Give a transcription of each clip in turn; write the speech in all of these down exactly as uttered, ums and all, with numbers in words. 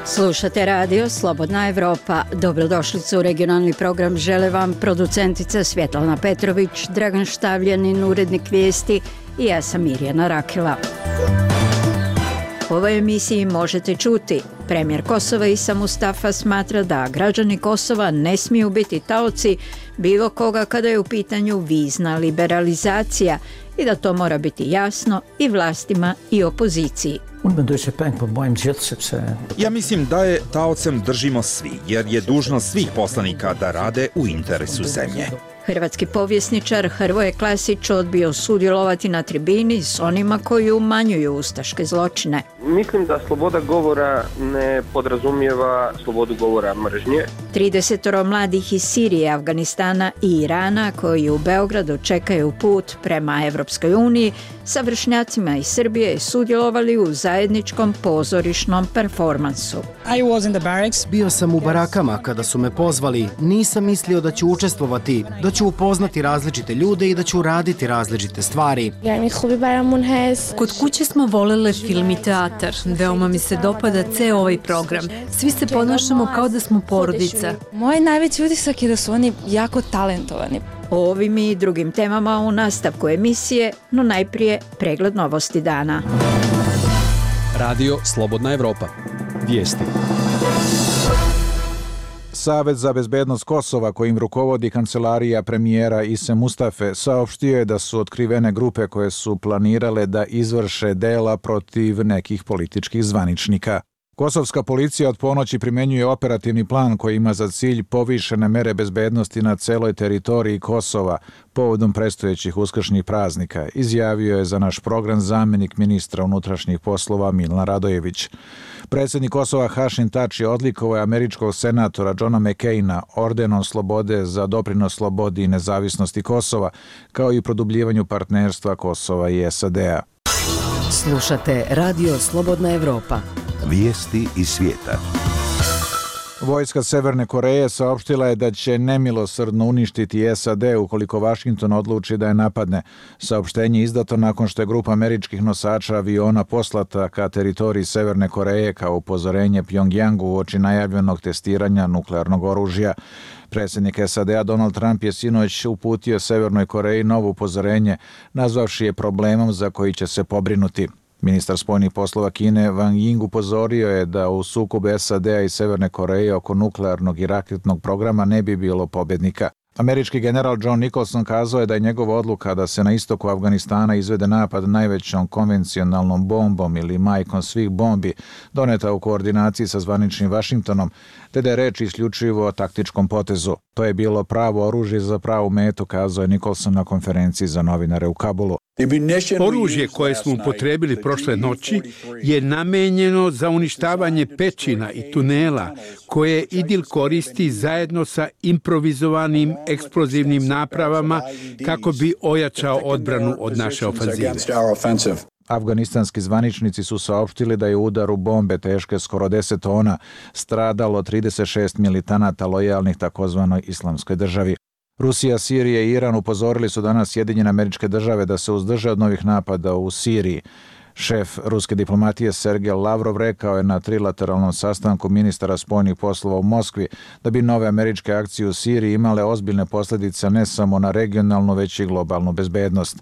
Slušate radio Slobodna Evropa. Dobrodošlicu u regionalni program žele vam producentica Svjetlana Petrović, Dragan Štavljanin, urednik vijesti i ja sam Mirjana Rakela. U ovoj emisiji možete čuti: premijer Kosova Isa Mustafa smatra da građani Kosova ne smiju biti taoci bilo koga kada je u pitanju vizna liberalizacija i da to mora biti jasno i vlastima i opoziciji. Ja mislim da je taocem držimo svi, jer je dužnost svih poslanika da rade u interesu zemlje. Hrvatski povjesničar Hrvoje Klasić odbio sudjelovati na tribini s onima koji umanjuju ustaške zločine. Mislim da sloboda govora ne podrazumijeva slobodu govora mržnje. tridesetoro mladih iz Sirije, Afganistana i Irana koji u Beogradu čekaju put prema Evropskoj uniji sa vršnjacima iz Srbije sudjelovali u zajedničkom pozorišnom performansu. Bio sam u barakama kada su me pozvali. Nisam mislio da ću učestvovati, da ću upoznati različite ljude i da ću raditi različite stvari. Kod kuće smo volele film i teatar. Veoma mi se dopada ceo ovaj program. Svi se ponašamo kao da smo porodica. Moj najveći utisak je da su oni jako talentovani. O ovim i drugim temama u nastavku emisije, no najprije pregled novosti dana. Radio Slobodna Evropa. Vijesti. Savet za bezbednost Kosova, kojim rukovodi kancelarija premijera Ise Mustafe, saopštio je da su otkrivene grupe koje su planirale da izvrše dela protiv nekih političkih zvaničnika. Kosovska policija od ponoći primenjuje operativni plan koji ima za cilj povišene mere bezbednosti na celoj teritoriji Kosova povodom predstojećih uskršnjih praznika, izjavio je za naš program zamjenik ministra unutrašnjih poslova Milan Radojević. Predsjednik Kosova Hašim Tači odlikovao je američkog senatora Johna McCaina ordenom slobode za doprinos slobodi i nezavisnosti Kosova, kao i produbljivanju partnerstva Kosova i S A D-a. Slušate radio Slobodna Evropa. Vijesti iz svijeta. Vojska Severne Koreje saopštila je da će nemilosrdno uništiti S A D ukoliko Vašington odluči da je napadne. Saopštenje je izdato nakon što je grupa američkih nosača aviona poslata ka teritoriji Severne Koreje kao upozorenje Pjongjangu uoči najavljenog testiranja nuklearnog oružja. Predsjednik S A D-a Donald Trump je sinoć uputio Severnoj Koreji novo upozorenje, nazvavši je problemom za koji će se pobrinuti. Ministar spoljnih poslova Kine Wang Ying upozorio je da u sukobu S A D-a i Severne Koreje oko nuklearnog i raketnog programa ne bi bilo pobjednika. Američki general John Nicholson kazao je da je njegova odluka da se na istoku Afganistana izvede napad najvećom konvencionalnom bombom ili majkom svih bombi doneta u koordinaciji sa zvaničnim Vašingtonom, te da je reč isključivo o taktičkom potezu. To je bilo pravo oružje za pravu metu, kazao je Nicholson na konferenciji za novinare u Kabulu. Oružje koje smo upotrebili prošle noći je namenjeno za uništavanje pećina i tunela koje IDIL koristi zajedno sa improvizovanim eksplozivnim napravama kako bi ojačao odbranu od naše ofanzive. Afganistanski zvaničnici su saopštili da je u udaru bombe teške skoro deset tona stradalo trideset šest militanata lojalnih takozvanoj islamskoj državi. Rusija, Sirija i Iran upozorili su danas Sjedinjene Američke Države da se uzdrže od novih napada u Siriji. Šef ruske diplomatije Sergej Lavrov rekao je na trilateralnom sastanku ministara spoljnih poslova u Moskvi da bi nove američke akcije u Siriji imale ozbiljne posljedice ne samo na regionalnu, već i globalnu bezbednost.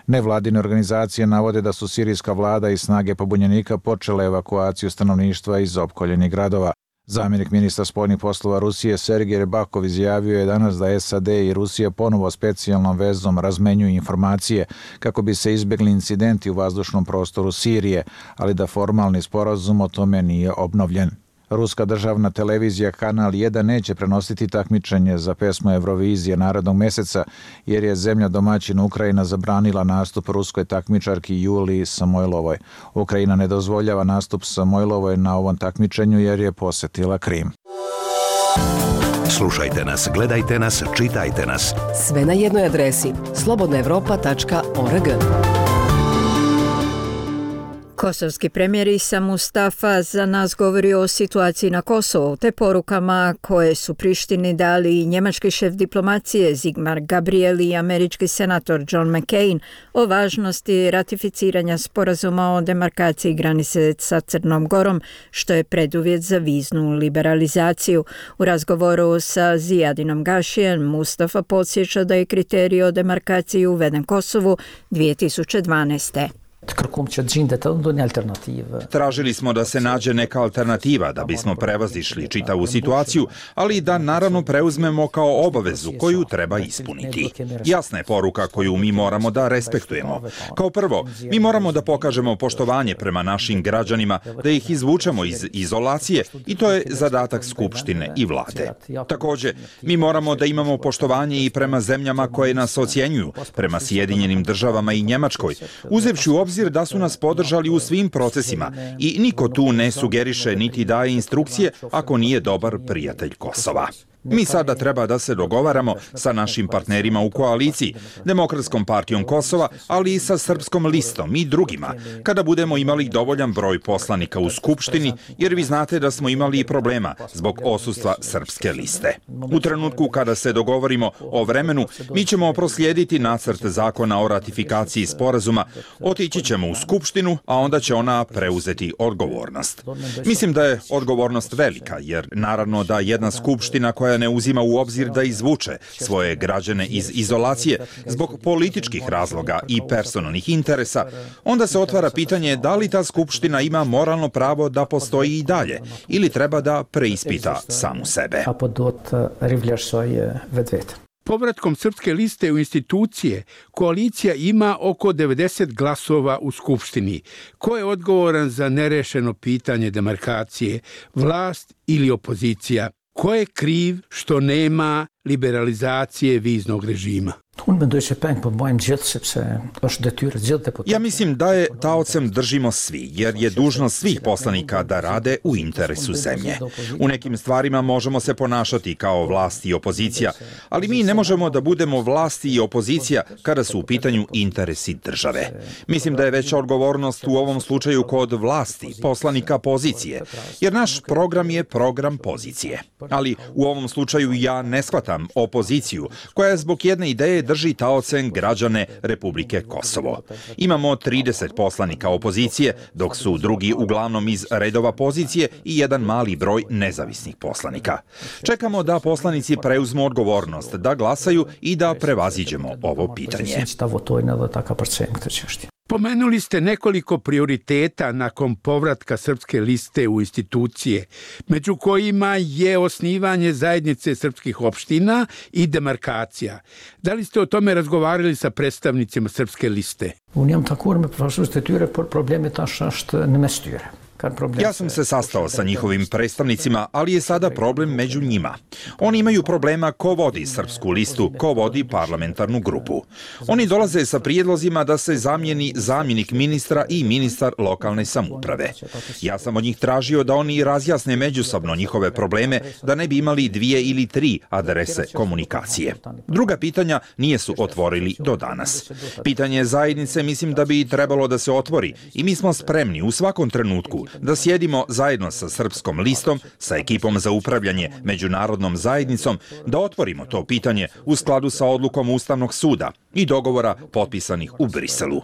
Nevladine organizacije navode da su sirijska vlada i snage pobunjenika počele evakuaciju stanovništva iz opkoljenih gradova. Zamjenik ministra spoljnih poslova Rusije Sergej Rebakov izjavio je danas da S A D i Rusija ponovo specijalnom vezom razmenjuju informacije kako bi se izbjegli incidenti u vazdušnom prostoru Sirije, ali da formalni sporazum o tome nije obnovljen. Ruska državna televizija Kanal jedan neće prenositi takmičenje za pesmu Eurovizije narednog mjeseca jer je zemlja domaćin Ukrajina zabranila nastup ruskoj takmičarki Juliji Samojlovoj. Ukrajina ne dozvoljava nastup Samojlovoj na ovom takmičenju jer je posjetila Krim. Slušajte nas, gledajte nas, čitajte nas. Sve na jednoj adresi slobodna evropa tačka org. Kosovski premijer Isa Mustafa za nas govori o situaciji na Kosovu te porukama koje su Prištini dali i njemački šef diplomacije Sigmar Gabriel i američki senator John McCain o važnosti ratificiranja sporazuma o demarkaciji granice sa Crnom Gorom, što je preduvjet za viznu liberalizaciju. U razgovoru sa Zijadinom Gašijem Mustafa podsjeća da je kriterij o demarkaciji uveden Kosovu dvije tisuće dvanaeste. Tražili smo da se nađe neka alternativa da bismo prevazišli čitavu situaciju, ali da naravno preuzmemo kao obavezu koju treba ispuniti. Jasna je poruka koju mi moramo da respektujemo. Kao prvo, mi moramo da pokažemo poštovanje prema našim građanima, da ih izvučemo iz izolacije i to je zadatak Skupštine i vlade. Također, mi moramo da imamo poštovanje i prema zemljama koje nas ocjenjuju, prema Sjedinjenim državama i Njemačkoj, uzevši u obzir da su nas podržali u svim procesima i niko tu ne sugeriše niti daje instrukcije ako nije dobar prijatelj Kosova. Mi sada treba da se dogovaramo sa našim partnerima u koaliciji, Demokratskom partijom Kosova, ali i sa Srpskom listom i drugima, kada budemo imali dovoljan broj poslanika u Skupštini, jer vi znate da smo imali i problema zbog odsustva Srpske liste. U trenutku kada se dogovorimo o vremenu, mi ćemo proslijediti nacrt zakona o ratifikaciji sporazuma, otići ćemo u Skupštinu, a onda će ona preuzeti odgovornost. Mislim da je odgovornost velika, jer naravno da jedna Skupština koja ne uzima u obzir da izvuče svoje građane iz izolacije zbog političkih razloga i personalnih interesa, onda se otvara pitanje da li ta Skupština ima moralno pravo da postoji i dalje ili treba da preispita samu sebe. Povratkom Srpske liste u institucije, koalicija ima oko devedeset glasova u Skupštini. Ko je odgovoran za nerešeno pitanje demarkacije, vlast ili opozicija? Ko je kriv što nema liberalizacije viznog režima? Ja mislim da je taocem držimo svi, jer je dužnost svih poslanika da rade u interesu zemlje. U nekim stvarima možemo se ponašati kao vlast i opozicija, ali mi ne možemo da budemo vlast i opozicija kada su u pitanju interesi države. Mislim da je veća odgovornost u ovom slučaju kod vlasti, poslanika pozicije, jer naš program je program pozicije. Ali u ovom slučaju ja ne shvatam opoziciju, koja zbog jedne ideje drži taocem građane Republike Kosovo. Imamo trideset poslanika opozicije, dok su drugi uglavnom iz redova pozicije i jedan mali broj nezavisnih poslanika. Čekamo da poslanici preuzmu odgovornost, da glasaju i da prevaziđemo ovo pitanje. Pomenuli ste nekoliko prioriteta nakon povratka Srpske liste u institucije, među kojima je osnivanje zajednice srpskih opština i demarkacija. Da li ste o tome razgovarali sa predstavnicima Srpske liste? Ja sam se sastao sa njihovim predstavnicima, ali je sada problem među njima. Oni imaju problema ko vodi Srpsku listu, ko vodi parlamentarnu grupu. Oni dolaze sa prijedlozima da se zamijeni zamjenik ministra i ministar lokalne samouprave. Ja sam od njih tražio da oni razjasne međusobno njihove probleme, da ne bi imali dvije ili tri adrese komunikacije. Druga pitanja nije su otvorili do danas. Pitanje zajednice mislim da bi trebalo da se otvori i mi smo spremni u svakom trenutku da sjedimo zajedno sa Srpskom listom, sa ekipom za upravljanje međunarodnom zajednicom, da otvorimo to pitanje u skladu sa odlukom Ustavnog suda i dogovora potpisanih u Briselu.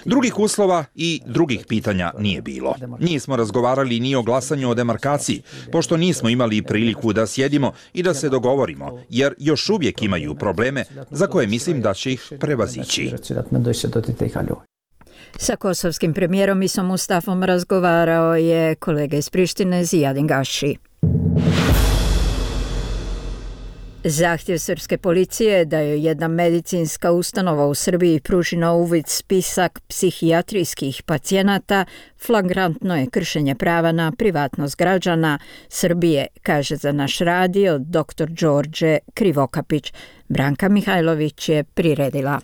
Drugih uslova i drugih pitanja nije bilo. Nismo razgovarali ni o glasanju o demarkaciji, pošto nismo imali priliku da sjedimo i da se dogovorimo, jer još uvijek imaju probleme za koje mislim da će ih prevazići. Sa kosovskim premijerom Isom Mustafom razgovarao je kolega iz Prištine Zijadin Gaši. Zahtjev srpske policije da joj jedna medicinska ustanova u Srbiji pruži na uvid spisak psihijatrijskih pacijenata flagrantno je kršenje prava na privatnost građana Srbije, kaže za naš radio doktor Đorđe Krivokapić. Branka Mihajlović je priredila.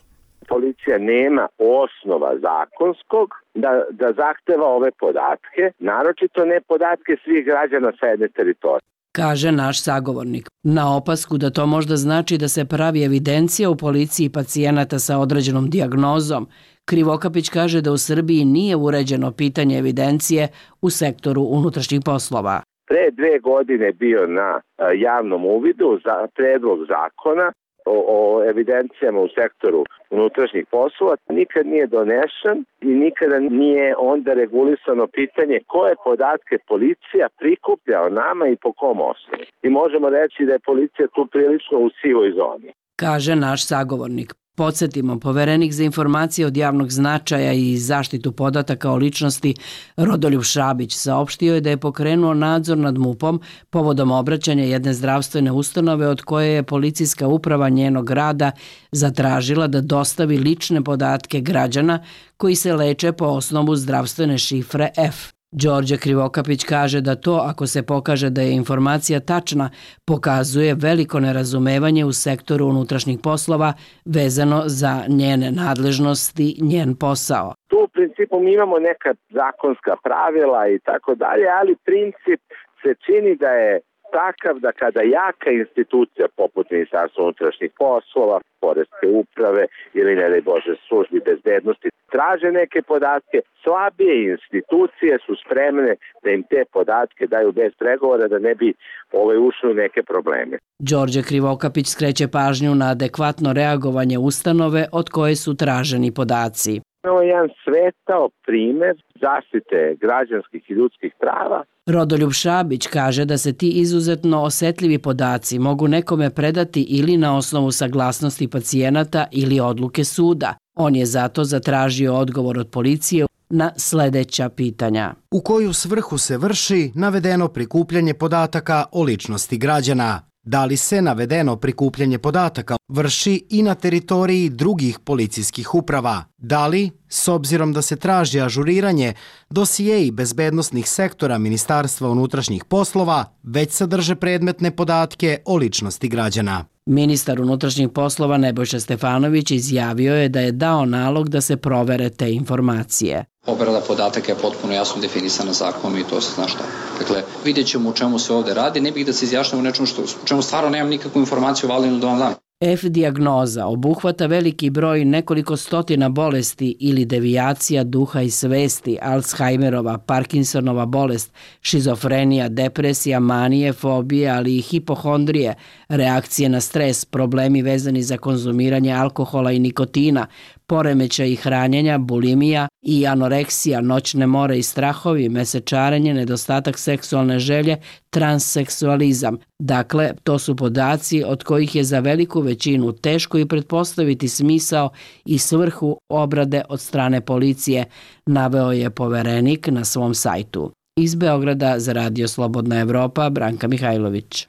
Policija nema osnova zakonskog da, da zahteva ove podatke, naročito ne podatke svih građana sa jedne teritorije. Kaže naš sagovornik. Na opasku da to možda znači da se pravi evidencija u policiji pacijenata sa određenom dijagnozom, Krivokapić kaže da u Srbiji nije uređeno pitanje evidencije u sektoru unutrašnjih poslova. Pre dve godine bio na javnom uvidu za predlog zakona o, o evidencijama u sektoru unutrašnjih poslova. Nikad nije donešen i nikada nije onda regulisano pitanje koje podatke policija prikuplja o nama i po kom osnovu. I možemo reći da je policija tu prilično u sivoj zoni. Kaže naš sagovornik. Podsjetimo, poverenik za informacije od javnog značaja i zaštitu podataka o ličnosti Rodoljub Šabić saopštio je da je pokrenuo nadzor nad MUP-om povodom obraćanja jedne zdravstvene ustanove od koje je policijska uprava njenog grada zatražila da dostavi lične podatke građana koji se leče po osnovu zdravstvene šifre F. Đorđe Krivokapić kaže da to, ako se pokaže da je informacija tačna, pokazuje veliko nerazumevanje u sektoru unutrašnjih poslova vezano za njene nadležnosti, njen posao. Tu u principu mi imamo neka zakonska pravila i tako dalje, ali princip se čini da je takav da kada jaka institucija poput Ministarstva unutrašnjih poslova, poreske uprave ili ne daj Bože službi bezbednosti traže neke podatke, slabije institucije su spremne da im te podatke daju bez pregovora da ne bi ovaj ušli u neke probleme. Đorđe Krivokapić skreće pažnju na adekvatno reagovanje ustanove od koje su traženi podaci. Ovo je jedan svetao primer zaštite građanskih i ljudskih prava. Rodoljub Šabić kaže da se ti izuzetno osetljivi podaci mogu nekome predati ili na osnovu saglasnosti pacijenata ili odluke suda. On je zato zatražio odgovor od policije na sledeća pitanja. U koju svrhu se vrši navedeno prikupljanje podataka o ličnosti građana? Da li se navedeno prikupljanje podataka vrši i na teritoriji drugih policijskih uprava? Da li, s obzirom da se traži ažuriranje, dosijeji bezbednosnih sektora Ministarstva unutrašnjih poslova već sadrže predmetne podatke o ličnosti građana? Ministar unutrašnjih poslova Nebojša Stefanović izjavio je da je dao nalog da se provere te informacije. Obrada podataka je potpuno jasno definisana zakonom i to se zna šta. Dakle, vidjet ćemo u čemu se ovde radi, ne bih da se izjašnjam u nečemu što, u čemu stvarno nemam nikakvu informaciju validnu da vam dam. F-dijagnoza obuhvata veliki broj nekoliko stotina bolesti ili devijacija duha i svesti, Alzheimerova, Parkinsonova bolest, šizofrenija, depresija, manije, fobije, ali i hipohondrije, reakcije na stres, problemi vezani za konzumiranje alkohola i nikotina, poremećaji hranjenja, bulimija i anoreksija, noćne more i strahovi, mesečarenje, nedostatak seksualne želje, transseksualizam. Dakle, to su podaci od kojih je za veliku većinu teško i pretpostaviti smisao i svrhu obrade od strane policije, naveo je poverenik na svom sajtu. Iz Beograda za Radio Slobodna Evropa, Branka Mihajlović.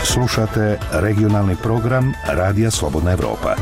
Slušate regionalni program Radija Slobodna Evropa.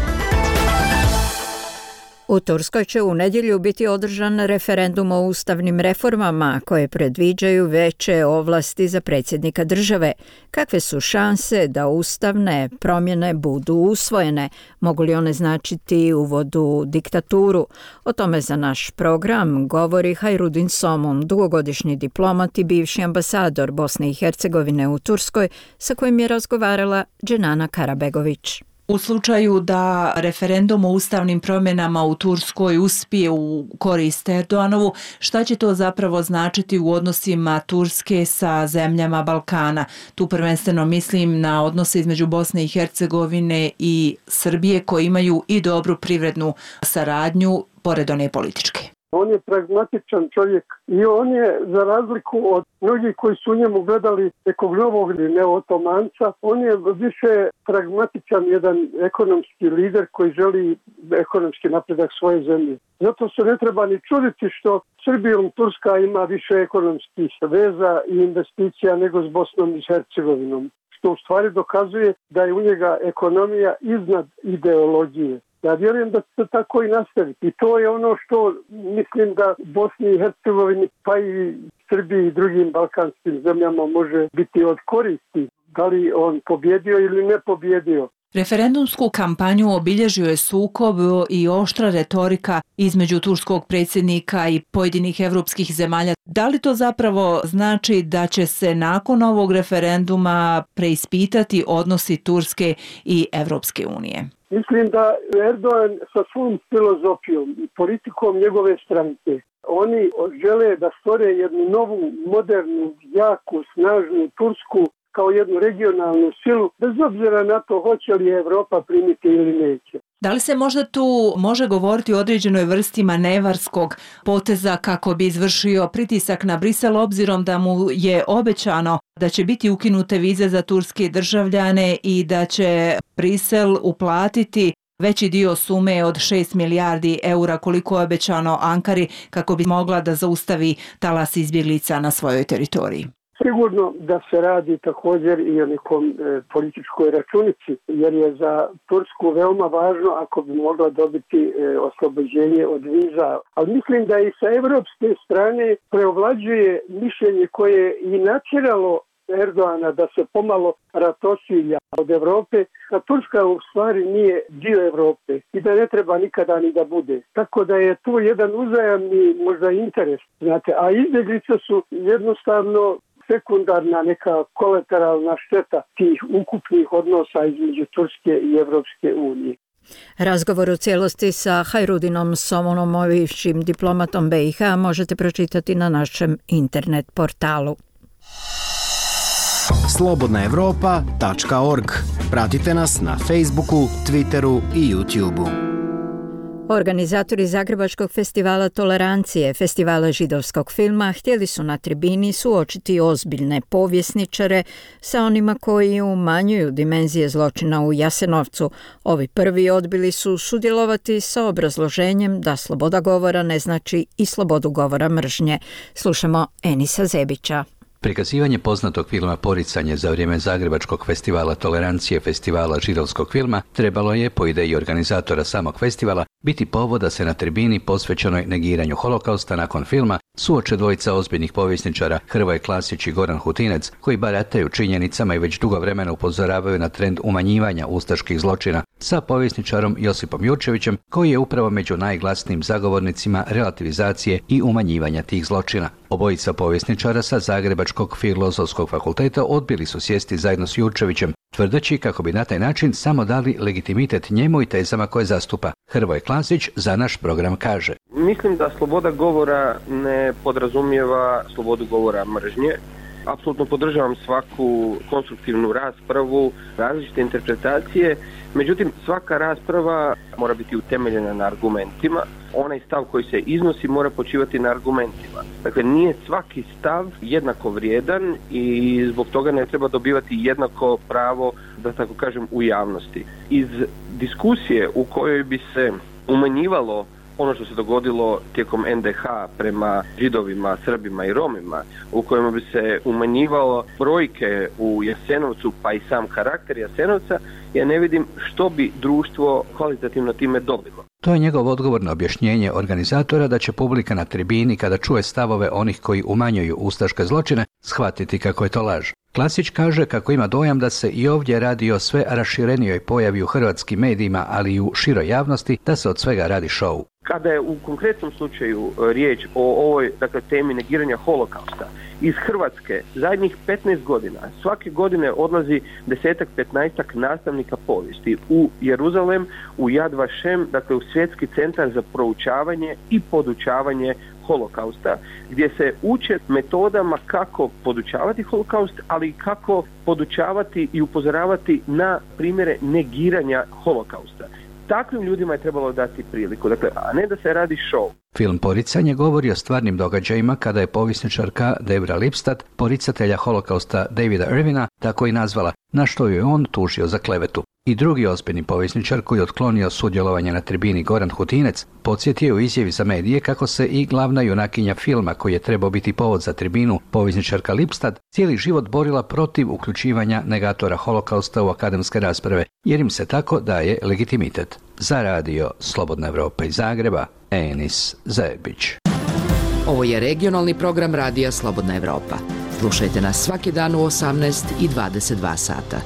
U Turskoj će u nedjelju biti održan referendum o ustavnim reformama koje predviđaju veće ovlasti za predsjednika države. Kakve su šanse da ustavne promjene budu usvojene? Mogu li one značiti uvod u diktaturu? O tome za naš program govori Hajrudin Somun, dugogodišnji diplomat i bivši ambasador Bosne i Hercegovine u Turskoj, sa kojim je razgovarala Dženana Karabegović. U slučaju da referendum o ustavnim promjenama u Turskoj uspije u korist Erdoganovu, šta će to zapravo značiti u odnosima Turske sa zemljama Balkana? Tu prvenstveno mislim na odnose između Bosne i Hercegovine i Srbije koji imaju i dobru privrednu saradnju pored one političke. On je pragmatičan čovjek i on je, za razliku od mnogih koji su u njemu gledali nekog novog neotomanca, on je više pragmatičan jedan ekonomski lider koji želi ekonomski napredak svoje zemlje. Zato se ne treba ni čuditi što Srbijom Turska ima više ekonomskih veza i investicija nego s Bosnom i Hercegovinom, što u stvari dokazuje da je u njega ekonomija iznad ideologije. Ja vjerujem da će se tako i nastaviti. I to je ono što mislim da Bosni i Hercegovini, pa i Srbiji i drugim balkanskim zemljama može biti od koristi. Da li on pobjedio ili ne pobjedio. Referendumsku kampanju obilježio je sukob i oštra retorika između turskog predsjednika i pojedinih evropskih zemalja. Da li to zapravo znači da će se nakon ovog referenduma preispitati odnosi Turske i Evropske unije? Mislim da Erdogan sa svom filozofijom i politikom njegove stranke, oni žele da stvore jednu novu, modernu, jaku, snažnu Tursku kao jednu regionalnu silu, bez obzira na to hoće li Evropa primiti ili neće. Da li se možda tu može govoriti o određenoj vrsti manevarskog poteza kako bi izvršio pritisak na Brisel, obzirom da mu je obećano da će biti ukinute vize za turske državljane i da će Brisel uplatiti veći dio sume od šest milijardi eura koliko je obećano Ankari kako bi mogla da zaustavi talas izbjeglica na svojoj teritoriji? Sigurno da se radi također i o nekom e, političkoj računici, jer je za Tursku veoma važno ako bi mogla dobiti e, oslobođenje od viza. Ali mislim da i sa evropske strane preovlađuje mišljenje koje je i natjeralo Erdoana da se pomalo ratosilja od Evrope, a Turska u stvari nije dio Evrope i da ne treba nikada ni da bude. Tako da je tu jedan uzajamni možda interes, znate, a izbjeglice su jednostavno sekundarna neka kolateralna šteta tih ukupnih odnosa između Turske i Evropske unije. Razgovor u cijelosti sa Hajrudinom Somonom, bivšim diplomatom B i H, možete pročitati na našem internet portalu. slobodna evropa tačka org. Pratite nas na Facebooku, Twitteru i YouTubeu. Organizatori Zagrebačkog festivala Tolerancije, festivala židovskog filma, htjeli su na tribini suočiti ozbiljne povjesničare sa onima koji umanjuju dimenzije zločina u Jasenovcu. Ovi prvi odbili su sudjelovati sa obrazloženjem da sloboda govora ne znači i slobodu govora mržnje. Slušamo Enisa Zebića. Prikazivanje poznatog filma Poricanje za vrijeme Zagrebačkog festivala Tolerancije, festivala židovskog filma, trebalo je, po ideji organizatora samog festivala, biti povod da se na tribini posvećenoj negiranju holokausta nakon filma suoče dvojica ozbiljnih povjesničara Hrvoje Klasić i Goran Hutinec, koji barataju činjenicama i već dugo vremena upozoravaju na trend umanjivanja ustaških zločina, sa povjesničarom Josipom Jurčevićem, koji je upravo među najglasnijim zagovornicima relativizacije i umanjivanja tih zločina. Obojica povjesničara sa Zagrebačkog filozofskog fakulteta odbili su sjesti zajedno s Jurčevićem, tvrdeći kako bi na taj način samo dali legitimitet njemu i tezama koje zastupa. Hrvoje Klasić za naš program kaže: Mislim da sloboda govora ne podrazumijeva slobodu govora mržnje. Apsolutno podržavam svaku konstruktivnu raspravu, različite interpretacije, međutim svaka rasprava mora biti utemeljena na argumentima. Onaj stav koji se iznosi mora počivati na argumentima. Dakle, nije svaki stav jednako vrijedan i zbog toga ne treba dobivati jednako pravo, da tako kažem, u javnosti. Iz diskusije u kojoj bi se umanjivalo ono što se dogodilo tijekom en de ha prema Židovima, Srbima i Romima, u kojima bi se umanjivalo brojke u Jasenovcu pa i sam karakter Jasenovca, ja ne vidim što bi društvo kvalitativno time dobilo. To je njegov odgovor na objašnjenje organizatora da će publika na tribini, kada čuje stavove onih koji umanjuju ustaške zločine, shvatiti kako je to laž. Klasić kaže kako ima dojam da se i ovdje radi o sve raširenijoj pojavi u hrvatskim medijima, ali i u široj javnosti, da se od svega radi šou. Kada je u konkretnom slučaju riječ o ovoj, dakle, temi negiranja holokausta, iz Hrvatske zadnjih petnaest godina svake godine odlazi desetak, petnaestak nastavnika povijesti u Jeruzalem, u Yad Vashem, dakle u Svjetski centar za proučavanje i podučavanje holokausta, gdje se uče metodama kako podučavati holokaust, ali i kako podučavati i upozoravati na primjere negiranja holokausta. Takvim ljudima je trebalo dati priliku, dakle, a ne da se radi show. Film Poricanje govori o stvarnim događajima kada je povjesničarka Debra Lipstadt poricatelja holokausta Davida Irvina tako i nazvala, na što ju je on tužio za klevetu. I drugi ozbiljni povjesničar koji je otklonio sudjelovanje na tribini, Goran Hutinec, podsjetio u izjavi za medije kako se i glavna junakinja filma, koji je trebao biti povod za tribinu, povjesničarka Lipstadt, cijeli život borila protiv uključivanja negatora holokausta u akademske rasprave, jer im se tako daje legitimitet. Za radio Slobodna Evropa iz Zagreba, Enis Zebić. Ovo je regionalni program radija Slobodna Evropa. Slušajte nas svaki dan u osamnaest i dvadeset dva sata.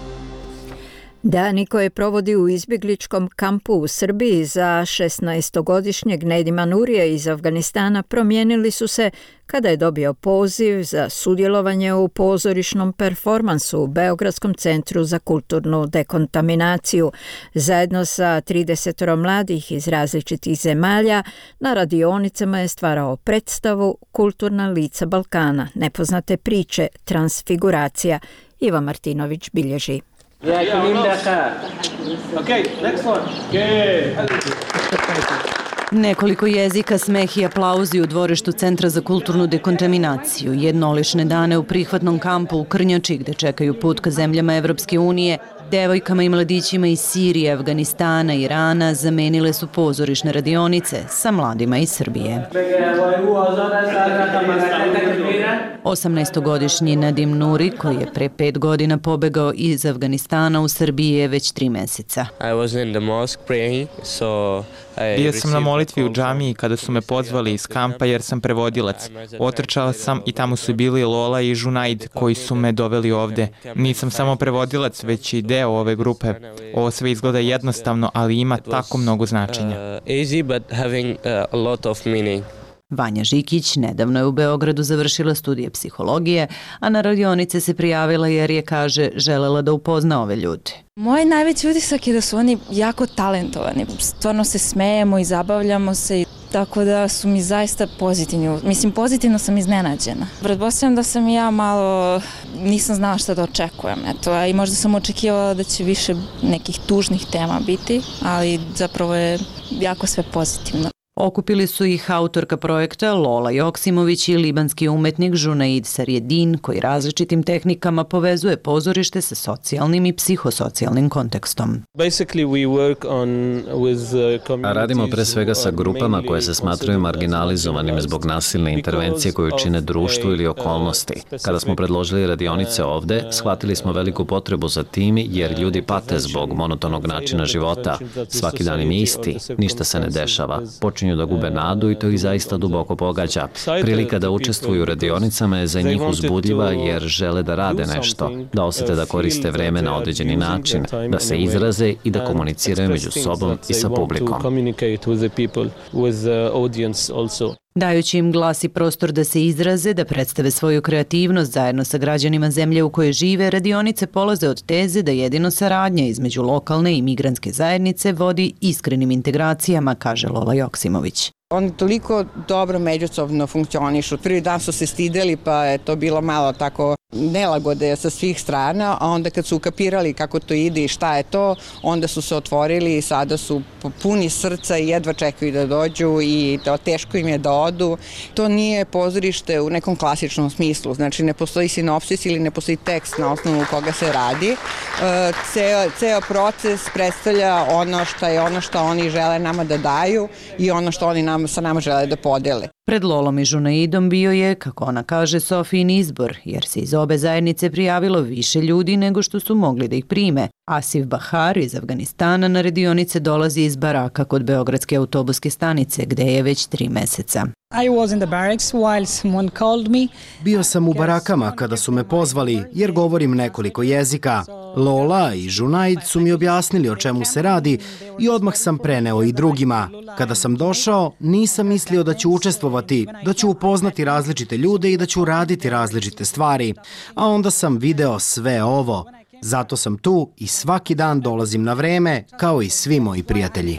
Dani koje provodi u izbjegličkom kampu u Srbiji za šesnaestogodišnjeg Nedima Nurija iz Afganistana promijenili su se kada je dobio poziv za sudjelovanje u pozorišnom performansu u Beogradskom centru za kulturnu dekontaminaciju. Zajedno sa trideset mladih iz različitih zemalja na radionicama je stvarao predstavu Kulturna lica Balkana, nepoznate priče, transfiguracija. Iva Martinović bilježi. Okay, next one. Okay. Nekoliko jezika, smeh i aplauzi u dvorištu Centra za kulturnu dekontaminaciju, jednolične dane u prihvatnom kampu u Krnjači gde čekaju put ka zemljama Evropske unije, devojkama i mladićima iz Sirije, Afganistana i Irana zamenile su pozorišne radionice sa mladima iz Srbije. osamnaestogodišnji Nadim Nuri, koji je pre pet godina pobegao iz Afganistana u Srbiji, je već tri meseca. Bio sam na molitvi u džamiji kada su me pozvali iz kampa jer sam prevodilac. Otrčala sam i tamo su bili Lola i Junaid koji su me doveli ovde. Nisam samo prevodilac, već i deo ove grupe. Ovo sve izgleda jednostavno, ali ima tako mnogo značenja. Vanja Žikić nedavno je u Beogradu završila studije psihologije, a na radionice se prijavila jer je, kaže, želela da upozna ove ljude. Moj najveći utisak je da su oni jako talentovani. Stvarno se smejemo i zabavljamo se, tako da su mi zaista pozitivni. Mislim, pozitivno sam iznenađena. Pretpostavljam da sam i ja malo, nisam znala šta da očekujem. Eto, a i možda sam očekivala da će više nekih tužnih tema biti, ali zapravo je jako sve pozitivno. Okupili su ih autorka projekta Lola Joksimović i libanski umetnik Junaid Sarjedin, koji različitim tehnikama povezuje pozorište sa socijalnim i psihosocijalnim kontekstom. Radimo pre svega sa grupama koje se smatraju marginalizovanim zbog nasilne intervencije koju čine društvo ili okolnosti. Kada smo predložili radionice ovde, shvatili smo veliku potrebu za tim jer ljudi pate zbog monotonog načina života. Svaki dan im je isti, ništa se ne dešava. Počinju da gube nadu i to ih zaista duboko pogađa. Prilika da učestvuju u radionicama je za njih uzbudljiva jer žele da rade nešto, da osete da koriste vreme na određeni način, da se izraze i da komuniciraju među sobom i sa publikom. Dajući im glas i prostor da se izraze, da predstave svoju kreativnost zajedno sa građanima zemlje u kojoj žive, radionice polaze od teze da jedino saradnja između lokalne i migrantske zajednice vodi iskrenim integracijama, kaže Lola Joksimović. Oni toliko dobro međusobno funkcionišu. Prvi dan su se stideli pa je to bilo malo tako nelagode sa svih strana, a onda kad su ukapirali kako to ide i šta je to, onda su se otvorili i sada su puni srca i jedva čekaju da dođu i to teško im je da odu. To nije pozorište u nekom klasičnom smislu, znači ne postoji sinopsis ili ne postoji tekst na osnovu koga se radi. Ceo, ceo proces predstavlja ono što je ono što oni žele nama da daju i ono što oni nam, sa nama žele da podele. Pred Lolom i Junaidom bio je, kako ona kaže, Sofijin izbor, jer se iz obe zajednice prijavilo više ljudi nego što su mogli da ih prime. Asif Bahar iz Afganistana na radionice dolazi iz baraka kod Beogradske autobuske stanice, gde je već tri meseca. Bio sam u barakama kada su me pozvali, jer govorim nekoliko jezika. Lola i Junaid su mi objasnili o čemu se radi i odmah sam preneo i drugima. Kada sam došao, nisam mislio da ću učestvovati, da ću upoznati različite ljude i da ću raditi različite stvari. A onda sam video sve ovo. Zato sam tu i svaki dan dolazim na vreme, kao i svi moji prijatelji.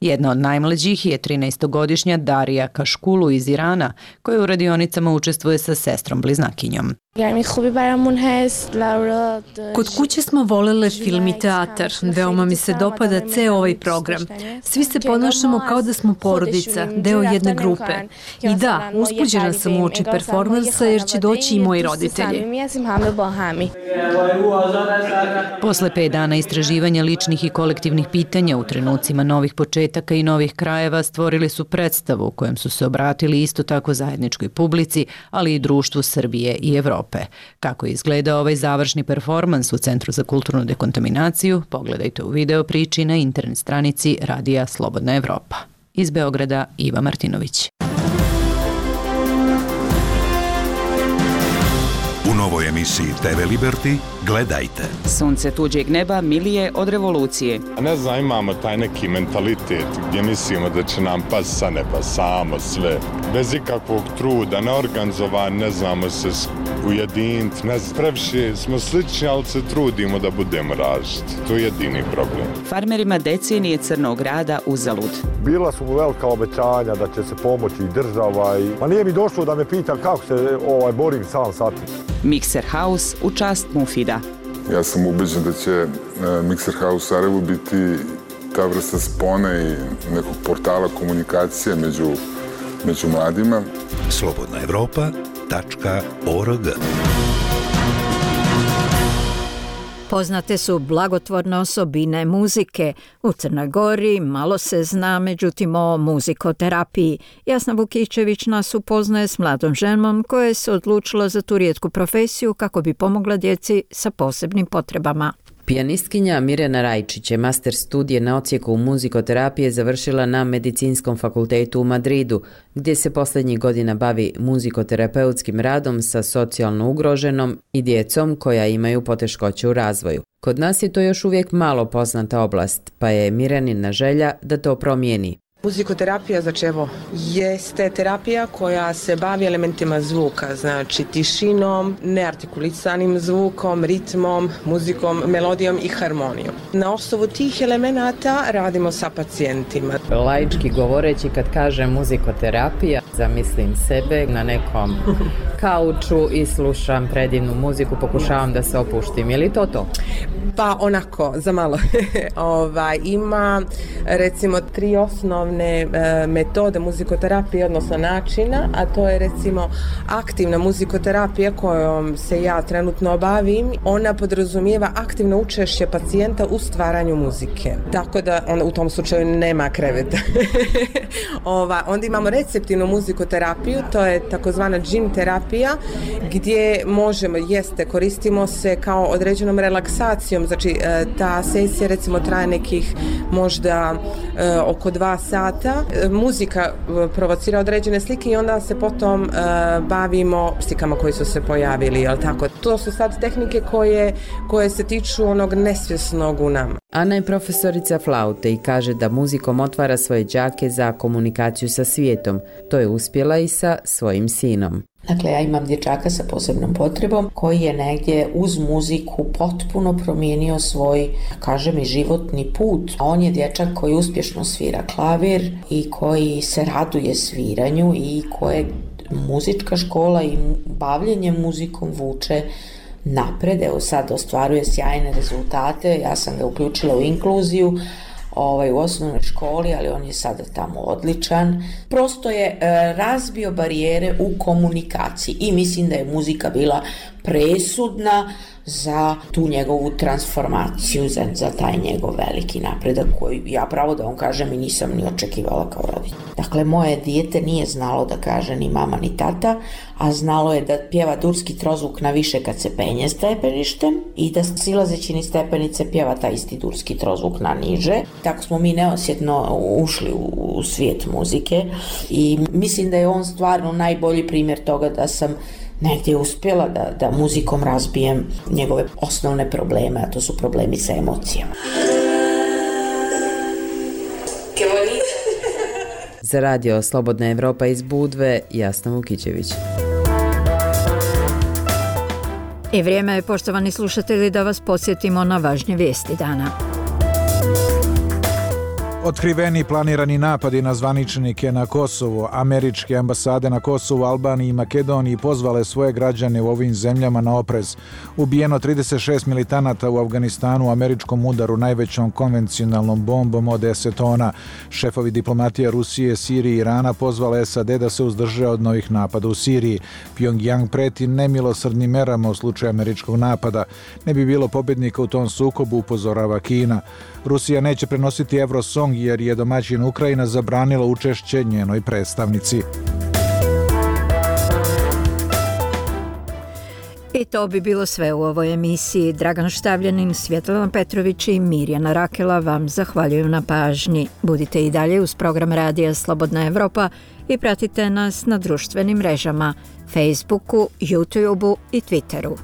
Jedna od najmlađih je trinaestogodišnja Darija Kaškulu iz Irana, koja u radionicama učestvuje sa sestrom bliznakinjom. Kod kuće smo volele film i teatar. Veoma mi se dopada ceo ovaj program. Svi se ponašamo kao da smo porodica, deo jedne grupe. I da, uzbuđena sam u oči performansa jer će doći i moji roditelji. Posle pet dana istraživanja ličnih i kolektivnih pitanja u trenucima novih početaka i novih krajeva stvorili su predstavu u kojem su se obratili isto tako zajedničkoj publici, ali i društvu Srbije i Evrope. Kako je izgledao ovaj završni performans u Centru za kulturnu dekontaminaciju, pogledajte u video priči na internet stranici Radija Slobodna Evropa. Iz Beograda, Iva Martinović. novoj emisiji te ve Liberty gledajte. Sunce tuđeg neba milije od revolucije. A ne znam, imamo taj neki mentalitet gdje mislimo da će nam pas sa neba samo sve. Bez ikakvog truda, neorganizovan, ne znamo se ujediniti, ne znam, previše smo slični, ali se trudimo da budemo različiti. To je jedini problem. Farmerima decenije crnog rada uzalud. Bila su mu velika obećanja da će se pomoći i država i... Ma nije mi došlo da me pita kako se ovaj, borim sam sa tim. Mixer House u čast Mufida. Ja sam ubeđen da će Mixer House u Sarajevu biti ta vrsta spone i nekog portala komunikacije među, među mladima. slobodna evropa tačka org. Poznate su blagotvorne osobine muzike. U Crnoj Gori malo se zna, međutim, o muzikoterapiji. Jasna Vukićević nas upoznaje s mladom ženom koja se odlučila za tu rijetku profesiju kako bi pomogla djeci sa posebnim potrebama. Pijanistkinja Mirjana Rajčić je master studije na odsjeku muzikoterapije završila na Medicinskom fakultetu u Madridu, gdje se posljednjih godina bavi muzikoterapeutskim radom sa socijalno ugroženom i djecom koja imaju poteškoće u razvoju. Kod nas je to još uvijek malo poznata oblast, pa je Mirjanina želja da to promijeni. Muzikoterapija, znači evo, jeste terapija koja se bavi elementima zvuka, znači tišinom, neartikulisanim zvukom, ritmom, muzikom, melodijom i harmonijom. Na osnovu tih elemenata radimo sa pacijentima. Laički govoreći, kad kažem muzikoterapija, zamislim sebe na nekom kauču i slušam predivnu muziku, pokušavam da se opuštim. Je li to to? Pa onako, za malo. Ova, ima recimo tri osnovne e, metode muzikoterapije, odnosno načina, a to je recimo aktivna muzikoterapija kojom se ja trenutno bavim. Ona podrazumijeva aktivno učešće pacijenta u stvaranju muzike. Tako da on, u tom slučaju nema kreveta. Ova, onda imamo receptivnu muzikoterapiju, to je takozvana gym terapija, gdje možemo, jeste, koristimo se kao određenom relaksacijom. Znači, ta sesija recimo traje nekih možda e, oko dva sata. E, muzika provocira određene slike i onda se potom e, bavimo slikama koji su se pojavili, jel tako? To su sad tehnike koje, koje se tiču onog nesvjesnog u nama. Ana je profesorica flaute i kaže da muzikom otvara svoje đake za komunikaciju sa svijetom. To je uspjela i sa svojim sinom. Dakle, ja imam dječaka sa posebnom potrebom koji je negdje uz muziku potpuno promijenio svoj, kažem, i životni put. On je dječak koji uspješno svira klavir i koji se raduje sviranju i koje muzička škola i bavljenje muzikom vuče napred. Evo sad ostvaruje sjajne rezultate, ja sam ga uključila u inkluziju ovaj, u osnovnoj školi, ali on je sada tamo odličan. Prosto je e, razbio barijere u komunikaciji i mislim da je muzika bila presudna za tu njegovu transformaciju, za, za taj njegov veliki napredak koji ja pravo da vam kažem i nisam ni očekivala kao roditelj. Dakle, moje dijete nije znalo da kaže ni mama ni tata, a znalo je da pjeva durski trozvuk na više kad se penje stepeništem i da silazeći ni stepenice pjeva taj isti durski trozvuk na niže. Tako smo mi neosjetno ušli u, u svijet muzike i mislim da je on stvarno najbolji primjer toga da sam negdje uspjela da, da muzikom razbijem njegove osnovne probleme, a to su problemi sa emocijama. Za radio Slobodna Evropa iz Budve, Jasna Vukićević. I vrijeme je, poštovani slušatelji, da vas podsjetimo na važnje vijesti dana. Otkriveni planirani napadi na zvaničnike na Kosovu. Američke ambasade na Kosovu, Albaniji i Makedoniji pozvale svoje građane u ovim zemljama na oprez. Ubijeno trideset šest militanata u Afganistanu u američkom udaru najvećom konvencionalnom bombom od deset tona. Šefovi diplomatije Rusije, Sirije i Irana pozvale S A D da se uzdrže od novih napada u Siriji. Pyongyang preti nemilosrdnim merama u slučaju američkog napada. Ne bi bilo pobjednika u tom sukobu, upozorava Kina. Rusija neće prenositi Eurosong jer je domaćin Ukrajina zabranila učešće njenoj predstavnici. I to bi bilo sve u ovoj emisiji. Dragan Štavljanin, Svjetlana Petrović i Mirjana Rakela vam zahvaljuju na pažnji. Budite i dalje uz program Radija Slobodna Evropa i pratite nas na društvenim mrežama, Facebooku, YouTubeu i Twitteru.